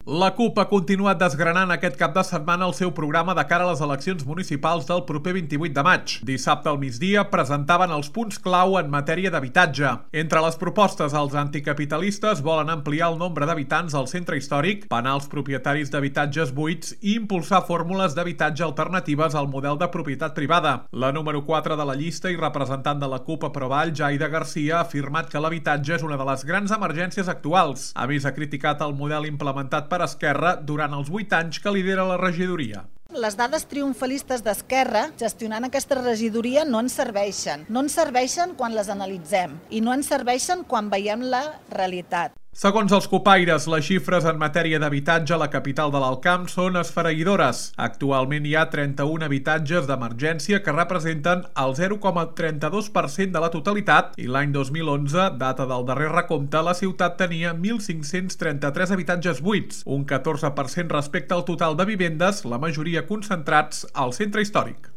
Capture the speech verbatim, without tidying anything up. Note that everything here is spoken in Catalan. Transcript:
La CUP ha continuat desgranant aquest cap de setmana el seu programa de cara a les eleccions municipals del proper vint-i-vuit de maig. Dissabte al migdia presentaven els punts clau en matèria d'habitatge. Entre les propostes, els anticapitalistes volen ampliar el nombre d'habitants al centre històric, penar els propietaris d'habitatges buits i impulsar fórmules d'habitatge alternatives al model de propietat privada. La número quatre de la llista i representant de la CUP a Provall, Jaida Garcia, ha afirmat que l'habitatge és una de les grans emergències actuals. A més, ha criticat el model implementat per Esquerra durant els vuit anys que lidera la regidoria. Les dades triomfalistes d'Esquerra gestionant aquesta regidoria no ens serveixen. No ens serveixen quan les analitzem i no ens serveixen quan veiem la realitat. Segons els copaires, les xifres en matèria d'habitatge a la capital de l'Alt Camp són esfereïdores. Actualment hi ha trenta-un habitatges d'emergència que representen el zero coma trenta-dos per cent de la totalitat i l'any dos mil onze, data del darrer recompte, la ciutat tenia mil cinc-cents trenta-tres habitatges buits, un catorze per cent respecte al total de vivendes, la majoria concentrats al centre històric.